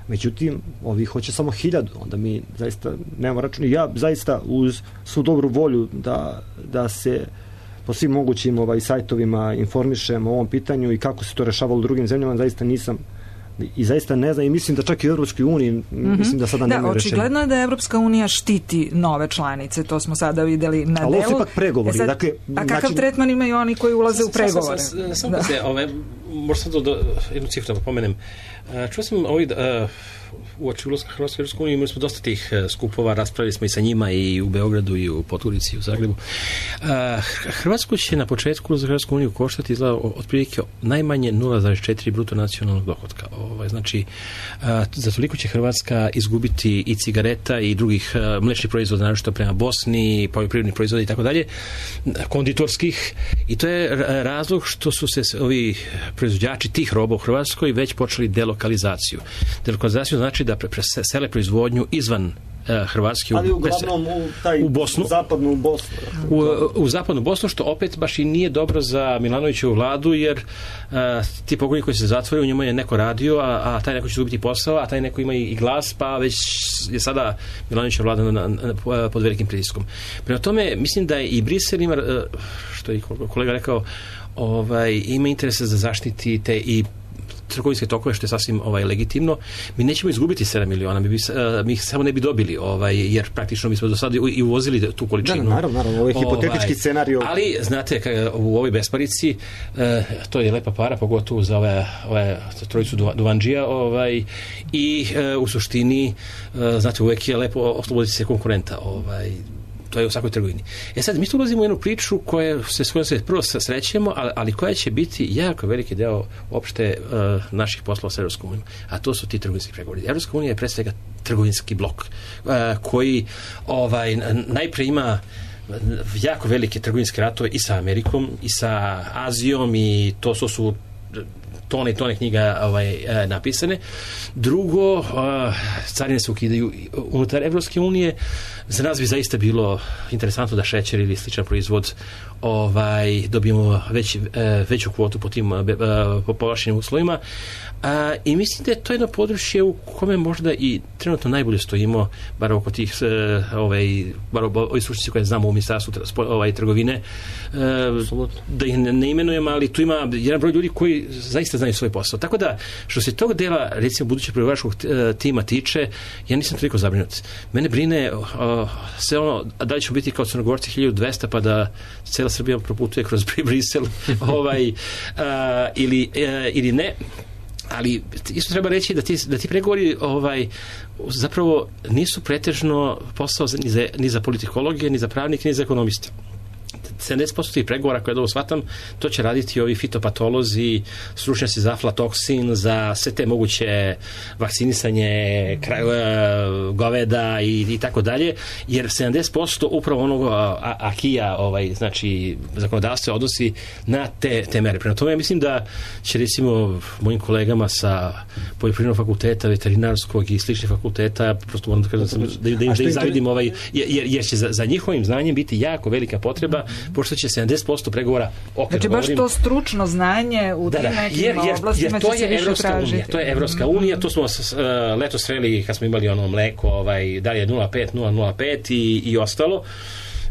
Međutim, ovi hoće samo 1.000, onda mi zaista nemamo račun. Ja zaista uz svu dobru volju da se po svim mogućim sajtovima informišem o ovom pitanju i kako se to rešavalo u drugim zemljama, zaista nisam I zaista ne znam, i mislim da čak i u Evropskoj uniji, mislim da sada nema rešenja. Očigledno je da Evropska unija štiti nove članice, to smo sada videli na delu. Ali ovo su ipak pregovori. A kakav tretman imaju oni koji ulaze u pregovore? Samo se, možda sam to jednu cifru da pomenem. Čuo sam uoči ulaska Hrvatske u Evropsku uniju, imali smo dosta tih skupova, raspravili smo i sa njima i u Beogradu i u Podgorici i u Zagrebu. Hrvatsku će na početku za Hrvatsku uniju koštati otprilike najmanje 0,4 bruto nacionalnog dohotka. Znači, za toliko će Hrvatska izgubiti i cigareta i drugih mlečnih proizvoda, naročito prema Bosni, poljoprivrednih proizvoda i tako dalje, konditorskih, i to je razlog što su se ovi proizvođači tih roba u Hrvatskoj već počeli delokalizaciju. Delokalizaciju znači da presele proizvodnju izvan Hrvatske, ali uglavnom u Bosnu. Zapadnu Bosnu. U zapadnu Bosnu, što opet baš i nije dobro za Milanovićevu vladu, jer ti pogoni koji se zatvoraju, u njemu je neko radio, a taj neko će izgubiti posao, a taj neko ima i glas, pa već je sada Milanovićeva vlada pod velikim pritiskom. Prema tome, mislim da i Brisel ima, što je kolega rekao, ima interese za zaštiti te i trgovinske tokove, što je sasvim legitimno. Mi nećemo izgubiti 7 miliona, mi ih samo ne bi dobili, jer praktično mi smo do sada i uvozili tu količinu. Da, naravno, ovo je hipotetički scenarij. Ali, znate, u ovoj besparici, to je lepa para, pogotovo za ove trojicu Duvandžija, i u suštini, znate, uvek je lepo osloboditi se konkurenta, to je u svakoj trgovini. Sad, mi tu ulazimo u jednu priču s kojom se prvo srećemo, ali koja će biti jako veliki deo uopšte naših poslova s Evropskom unijom. A to su ti trgovinski pregovori. Evropska unija je pre svega trgovinski blok koji najpre ima jako velike trgovinske ratove i sa Amerikom i sa Azijom, i to su tone i tone knjiga napisane. Drugo, carine se ukidaju unutar Evropske unije. Za nas bi zaista bilo interesantno da šećer ili sličan proizvod dobijemo veću kvotu po tim povlašćenim uslovima. I mislim da je to jedno područje u kome možda i trenutno najbolje stojimo, bar oko tih bar ovi stručnjaci koje znamo u ministarstvu trgovine, da ih ne imenujem, ali tu ima jedan broj ljudi koji zaista znaju svoj posao. Tako da, što se tog dela, recimo, budućeg pregovaračkog tima tiče, ja nisam toliko zabrinut. Mene brine sve da li ćemo biti kao Crnogorci 1200 pa da cela Srbija proputuje kroz Brisel ili ne. Ali isto treba reći da ti pregovori zapravo nisu pretežno posao ni za politikologe, ni za pravnike, ni za ekonomiste. 70% tih pregovora, koje ovo shvatam, to će raditi ovi fitopatolozi, stručnjaci za aflatoksin, za sve te moguće vakcinisanje goveda i tako dalje, jer 70% upravo onog akija, znači zakonodavstva, odnosi na te mere. Prema tome, ja mislim da će, recimo, mojim kolegama sa poljoprivrednog fakulteta, veterinarskog i sličnih fakulteta, prosto moram da kažem da im zavidim, jer će za njihovim znanjem biti jako velika potreba, pošto će 70% pregovora znači baš to stručno znanje u tim nekim oblastima će se više tražiti. To je Evropska unija, to smo leto sreli kad smo imali mleko, da li je 0,5, 0,05 i ostalo.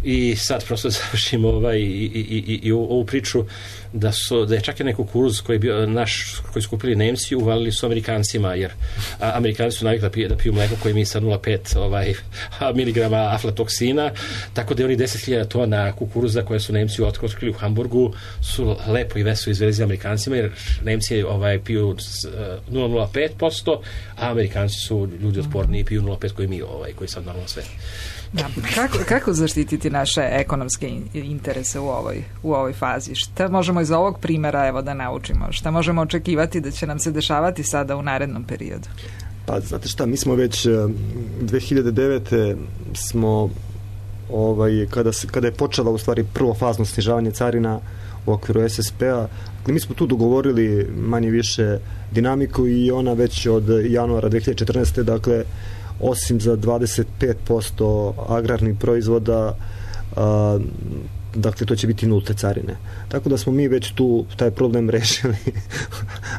I sad prosto završimo i ovu priču da je čak i neki kukuruz koji je bio koji su kupili Nemci, uvalili su Amerikancima, jer Amerikanci su navikli da piju mleko koje mi sa 0,5 miligrama aflatoksina, tako da oni 10.000 tona kukuruza koje su Nemci otkrili u Hamburgu su lepo i veselo izvezli Amerikancima, jer Nemci piju 0,05%, a Amerikanci su ljudi otporni i piju 0,5 koji mi, koji sad normalno sve. Da. Kako zaštititi naše ekonomske interese u ovoj fazi? Šta možemo iz ovog primjera da naučimo? Šta možemo očekivati da će nam se dešavati sada u narednom periodu? Pa, znate šta, mi smo već 2009. smo kada je počela u stvari prvo fazno snižavanje carina u okviru SSP-a, mi smo tu dogovorili manje više dinamiku i ona već od januara 2014. dakle osim za 25% agrarnih proizvoda, dakle to će biti nulte carine. Tako da smo mi već tu taj problem rešili.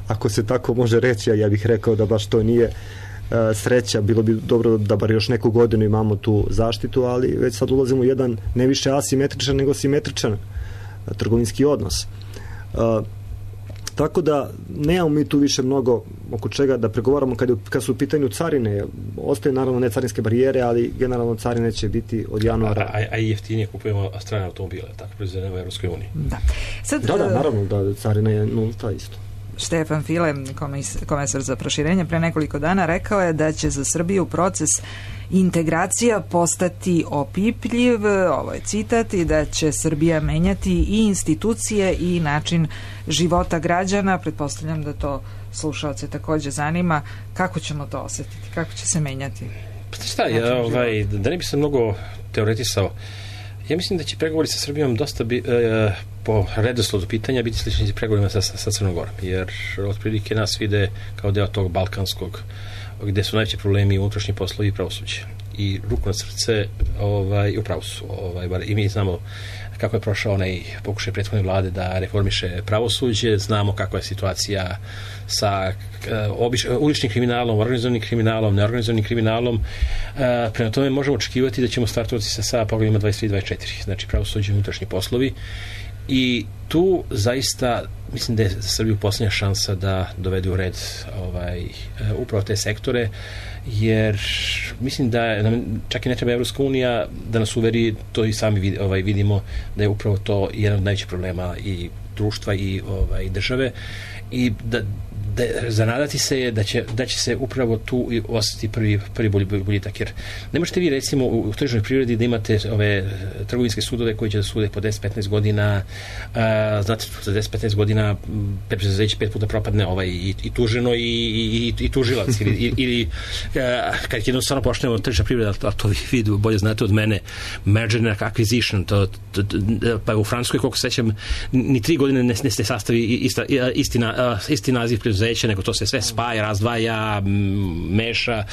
Ako se tako može reći, a ja bih rekao da baš to nije sreća, bilo bi dobro da bar još neku godinu imamo tu zaštitu, ali već sad ulazimo u jedan ne više asimetričan nego simetričan trgovinski odnos. Tako da nemamo mi tu više mnogo oko čega da pregovaramo kad su u pitanju carine. Ostaju naravno ne carinske barijere, ali generalno carine će biti od januara. A i jeftinije kupujemo strane automobile, tako proizvedene u Evropskoj uniji. Da, naravno da carina je nulta isto. Štefan File, komesar za proširenje, pre nekoliko dana rekao je da će za Srbiju proces integracija postati opipljiv, ovo je citat, i da će Srbija menjati i institucije i način života građana. Pretpostavljam da to slušaoce takođe zanima. Kako ćemo to osetiti? Kako će se menjati? Šta, da ne bi se mnogo teoretisao, ja mislim da će pregovori sa Srbijom dosta po redoslodu pitanja biti slični pregovorima sa Crnom Gorom, jer otprilike nas vide kao deo tog balkanskog, gde su najveći problemi unutrašnji poslovi i pravosuđe. I ruku na srce u pravu su. I mi znamo kako je prošao onaj pokušaj prethodne vlade da reformiše pravosuđe, znamo kakva je situacija sa uličnim kriminalom, organizovanim kriminalom, neorganizovanim kriminalom. Prema tome možemo očekivati da ćemo startovati sa poglavljima 23 i 24, znači pravosuđe i unutrašnji poslovi. I tu zaista mislim da je za Srbiju posljednja šansa da dovede u red upravo te sektore, jer mislim da nam čak i ne treba Evropska unija da nas uveri, to i sami vidimo da je upravo to jedan od najvećih problema i društva i države, i da zanadati se je da će se upravo tu osjetiti prvi boljitak, jer ne možete vi recimo u tržnoj privredi da imate ove trgovinske sudove koji će da sude po 10-15 godina, znate, za 10-15 godina preduzeće 5 puta propadne i tuženo i tužilac ili kad jednostavno počnemo tržna privreda, a to vi bolje znate od mene, merger and acquisition, pa u Francuskoj, koliko sećam, ni 3 godine ne se sastavi isti naziv preduzeća, nego to se sve spaja, razdvaja, meša.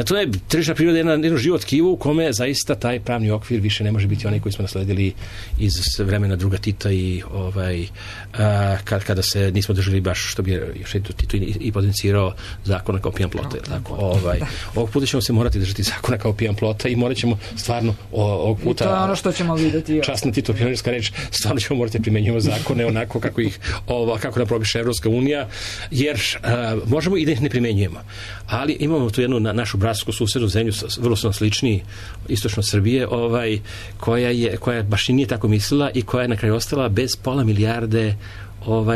To je tržišna priroda jedno živo tkivo u kome zaista taj pravni okvir više ne može biti onaj koji smo nasledili iz vremena druga Tita i kada se nismo držali baš, što bi još Tito i potencirao, zakona kao pijan plota. Ovog puta ćemo se morati držati zakona kao pijan plota i morat ćemo stvarno ovog puta, i to je ono što ćemo vidjeti. Časna Tito pionirska reč, stvarno ćemo morati primjenjivati zakone onako kako nam propiše Evropska unija, jer možemo i da ih ne primenjujemo. Ali imamo tu jednu našu bratsku susednu zemlju, vrlo su nam slični, istočno Srbije, koja baš i nije tako mislila i koja je na kraju ostala bez pola milijarde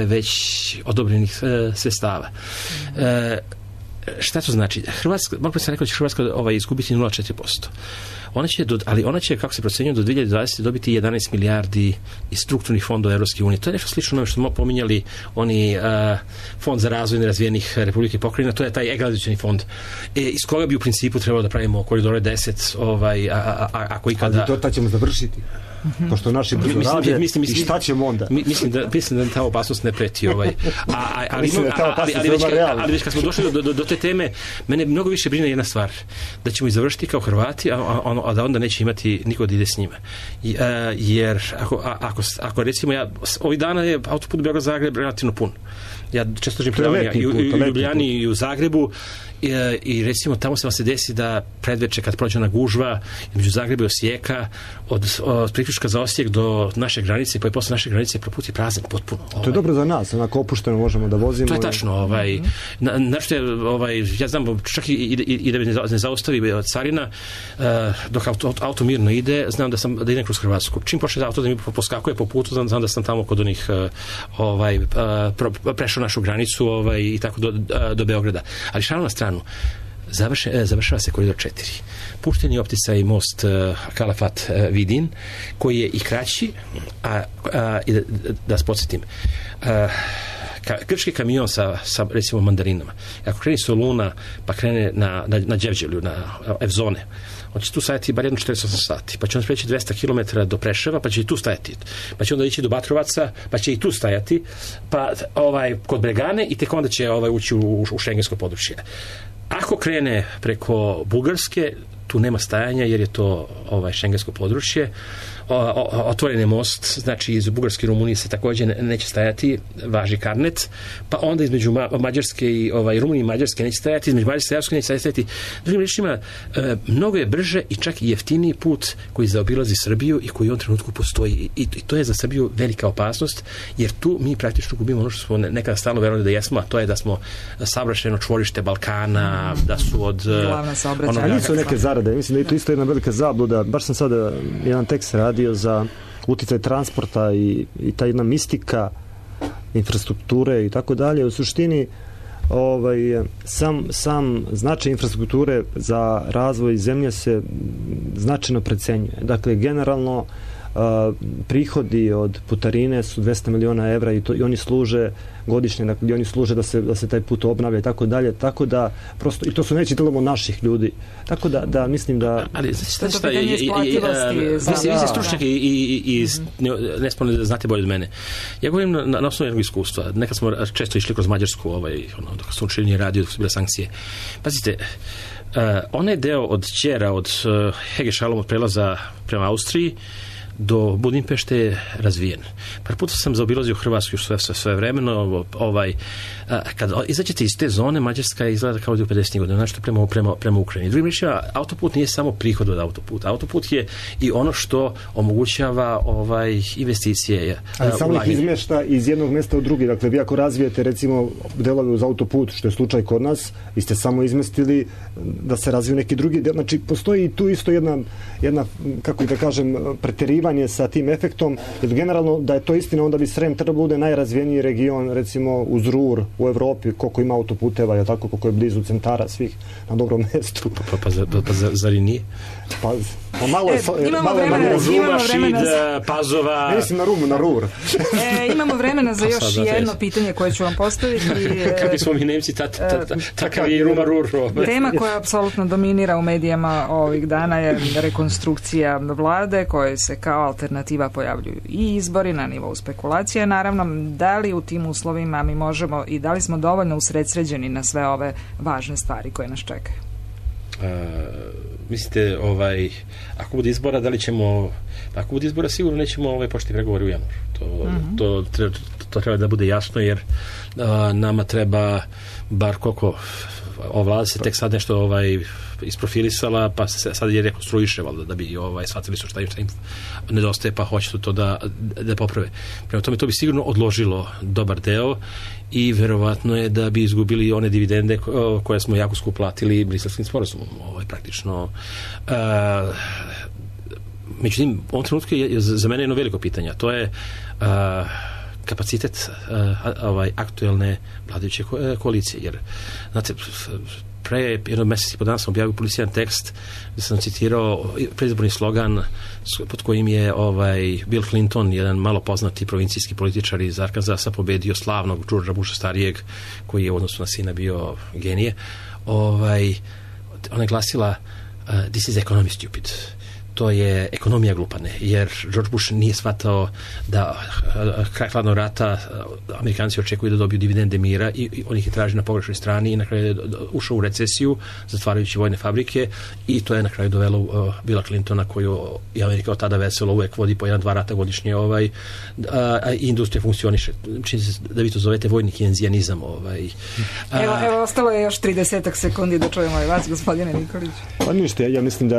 već odobrenih sredstava. Šta to znači? Mogu bi sam rekao da će Hrvatska izgubiti 0,4%. Ona će, kako se procenjuje, do 2020. dobiti 11 milijardi iz strukturnih fondova Evropske unije. To je nešto slično onome što smo pominjali, oni fond za razvoj nerazvijenih republike i pokrajina, to je taj egalizacioni fond. Iz koga bi u principu trebalo da pravimo koridore 10, ako ikada... Ali to ćemo završiti. Pošto naši brzo rade, i šta ćemo onda? Mislim da ta opasnost ne preti. Ali već kad smo došli do te teme, mene mnogo više brine jedna stvar, da ćemo i završiti kao Hrvati, a da onda neće imati niko da ide s njima. Jer ako recimo, ovih dana je autoput Beograd-Zagreb relativno pun. Ja često držim predavanja i u Ljubljani i u Zagrebu, i recimo tamo se vam se desi da predveče kad prođe ona gužva između Zagreba i Osijeka, od priključka za Osijek do naše granice, pa i posle naše granice proput je prazan potpuno. To je dobro za nas, onako opušteno možemo da vozimo. To je tačno. Nešto je, ja znam, čak i da ne zaustavi carina, dok auto mirno ide, znam da idem kroz Hrvatsku. Čim počne auto da mi poskakuje po putu, znam da sam tamo kod onih prešao našu granicu i tako do Beograda. Ali šalim na stranu, završava se koridor 4. Pušten je opticaj most Kalafat Vidin, koji je i kraći, da se podsjetim, grčki kamion sa recimo mandarinama, ako krene Soluna pa krene na Đevđelju, na Evzone, on će tu stajati bar 48 sati, pa će on preći 200 km do Preševa, pa će i tu stajati, pa će onda ići do Batrovaca, pa će i tu stajati, pa kod Bregane, i tek onda će ući u šengensko područje. Ako krene preko Bugarske, tu nema stajanja jer je to šengensko područje. Otvoren je most, znači iz Bugarske i Rumunije se također neće stajati, važi karnet, pa onda između Mađarske i Rumunije i Mađarske neće stajati, između Mađarske i Mađarske neće stajati. Drugim rečima, mnogo je brže i čak i jeftiniji put koji zaobilazi Srbiju i koji u ovom trenutku postoji. I to je za Srbiju velika opasnost, jer tu mi praktično gubimo ono što smo nekada stalno verovali da jesmo, a to je da smo saobraćajno čvorište Balkana, da su od... A nisu neke zarade, mislim da je to isto jedna velika zabluda. Baš sam sada jedan tekst radio za uticaj transporta i ta jedna mistika infrastrukture i tako dalje. U suštini sam značaj infrastrukture za razvoj zemlje se značajno precenjuje. Dakle, generalno prihodi od putarine su 200 miliona evra i oni služe godišnje, dakle oni služe da se taj put obnavlja i tako dalje, tako da prosto, i to su neći delom naših ljudi, tako da mislim da... Ali šta je vi ste stručnjak i nesporno da znate bolje od mene. Ja govorim na osnovu jednog iskustva. Nekad smo često išli kroz Mađarsku, dok smo učinili radio, dok su bile sankcije. Pazite, onaj deo od Ćera, od Hege Šalom, od prelaza prema Austriji do Budimpešte je razvijen. Par puta sam zaobilazio Hrvatsku sve vremeno. Kad izađete iz te zone, Mađarska izgleda kao da je u 50. godina, znači prema Ukrajini. Drugim rečima, autoput nije samo prihod od autoputa. Autoput je i ono što omogućava investicije. Ali samo ih izmešta iz jednog mesta u drugi. Dakle, vi ako razvijete recimo delove uz autoput, što je slučaj kod nas, vi ste samo izmestili da se razviju neki drugi del. Znači, postoji tu isto jedna kako da kažem, preterivanje sa tim efektom, jer generalno da je to istina, onda bi Srem trebao bude najrazvijeniji region, recimo uz Rur u Evropi, koliko ima autoputeva, je tako, koliko je blizu centara svih na dobrom mestu. Pa zar i nije? Pa malo je... Ruma, Šid, Pazova... Ne mislim na Rur. Imamo vremena za još jedno pitanje koje ću vam postaviti. Kakvi smo mi Nemci, takav je Ruma, Rur. Tema koja apsolutno dominira u medijama ovih dana je rekonstrukcija vlade, koje se kao alternativa pojavljuju i izbori na nivou spekulacije. Naravno, da li u tim uslovima mi možemo i da li smo dovoljno usredsređeni na sve ove važne stvari koje nas čekaju? Mislite, ako bude izbora, da li ćemo... Ako bude izbora, sigurno nećemo početi pregovori u januaru. To treba da bude jasno, jer nama treba bar koliko ova vlada se tek sad nešto isprofilisala, pa se sad je rekonstruiše, valjda, da bi shvatili su šta im nedostaje, pa hoće to da poprave. Prema tome, to bi sigurno odložilo dobar deo i verovatno je da bi izgubili one dividende koje smo jako skupo platili Briselskim sporazumom. Praktično... Međutim, u ovom trenutku je za mene jedno veliko pitanje, to je kapacitet aktuelne vladajuće koalicije, jer znate, pre jedno mjesec i po dana sam objavio policijan tekst gdje sam citirao predizborni slogan pod kojim je Bill Clinton, jedan malo poznati provincijski političar iz Arkansasa, pobedio slavnog Georgea Busha starijeg, koji je u odnosu na sina bio genije. Ona je glasila "This is economy stupid". To je ekonomija glupane, jer George Bush nije shvatao da kraj hladnog rata Amerikanci očekuju da dobiju dividende mira i on ih je traži na pogrešnoj strani i na kraju je ušao u recesiju zatvarajući vojne fabrike i to je na kraju dovelo Billa Clintona, koju je Amerika od tada veselo uvek vodi po 1-2 rata godišnje i industrija funkcioniše. Čini se da vi to zovete vojni keynesianizam. Evo, ostalo je još 30 sekundi da čujemo i vas, gospodine Nikolić. Pa ništa, ja mislim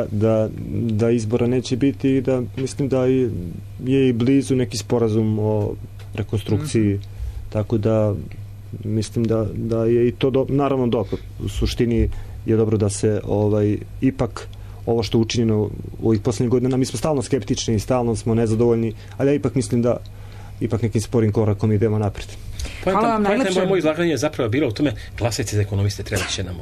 da izbora neće biti i da mislim da je i blizu neki sporazum o rekonstrukciji, tako da mislim da je i to naravno dobro. U suštini je dobro da se ipak ovo što je učinjeno u ovih posljednjih godina, mi smo stalno skeptični i stalno smo nezadovoljni, ali ja ipak mislim da ipak nekim sporim korakom idemo naprijed. Hvala vam najlepše. Moje izlaganje je zapravo bilo u tome, glasajte za ekonomiste, treba će nam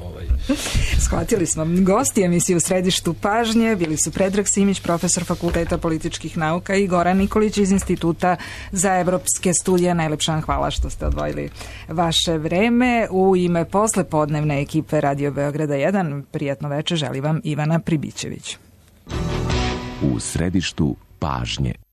Shvatili smo. Gosti emisije U središtu pažnje bili su Predrag Simić, profesor Fakulteta političkih nauka, i Goran Nikolić iz Instituta za evropske studije. Najlepša vam hvala što ste odvojili vaše vreme. U ime poslepodnevne ekipe Radio Beograda 1, prijatno večer želi vam Ivana Pribićević. U središtu pažnje.